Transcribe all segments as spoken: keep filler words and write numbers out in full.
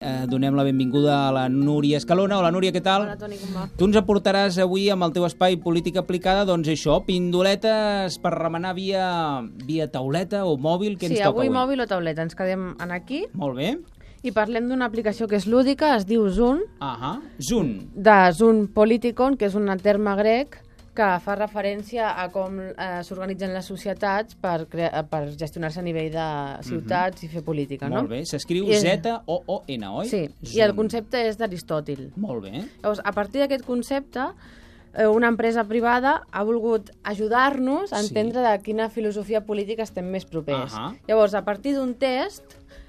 Eh, donem la benvinguda a la Núria Escalona. Hola, Núria, què tal? Hola, Toni, com va? Tu ens aportaràs avui amb el teu espai Política Aplicada, doncs això, pindoletes per remenar via, via tauleta o mòbil. Què Sí, ens toca avui avui? mòbil o tauleta. Ens quedem en aquí Molt bé. i parlem d'una aplicació que és lúdica, es diu Zoom, Ahà. Zoom. de Zoom Politikon, que és un terme grec que fa referència a com eh, s'organitzen les societats per, crea- per gestionar-se a nivell de ciutats i fer política, no? Molt bé. S'escriu I- Z O O N, oi? Sí, Zoom. i el concepte és d'Aristòtil. Molt bé. Llavors, a partir d'aquest concepte, eh, una empresa privada ha volgut ajudar-nos a Sí. entendre de quina filosofia política estem més propers. Ahà. Llavors, a partir d'un test,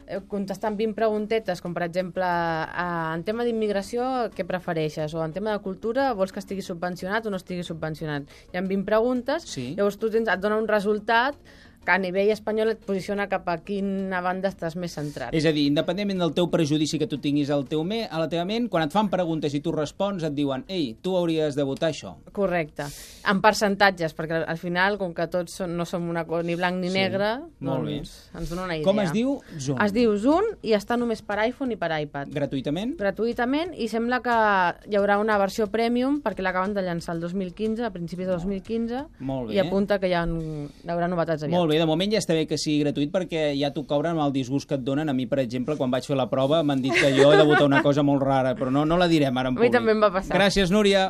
eh, contestant vint preguntetes, com per exemple, eh, en tema d'immigració, què prefereixes? O en tema de cultura, vols que estigui subvencionat o no estigui subvencionat? Hi ha vint preguntes, Sí. llavors tu tens, et dona un resultat que a nivell espanyol et posiciona cap a quina banda estàs més centrat. És a dir, independentment del teu prejudici que tu tinguis al teu me, a la teva ment, quan et fan preguntes i tu respons, et diuen ei, tu hauries de votar això. Correcte. En percentatges, perquè al final, com que tots són, no som una cosa ni blanc ni Sí, negre, molt doncs ens dona una idea. Com es diu? Zoom. Es diu Zoom i està només per iPhone i per iPad. Gratuïtament? Gratuïtament, i sembla que hi haurà una versió premium perquè l'acaben de llançar el dos mil quinze, a principis de dos mil quinze, Molt bé. i apunta que hi, ha, hi haurà novetats aviat. Molt bé, de moment ja està bé que sigui gratuït perquè ja t'ho cobren amb el disgust que et donen. A mi, per exemple, quan vaig fer la prova m'han dit que jo he de votar una cosa molt rara, però no, no la direm ara en A mi públic. també em va passar. Gràcies, Núria.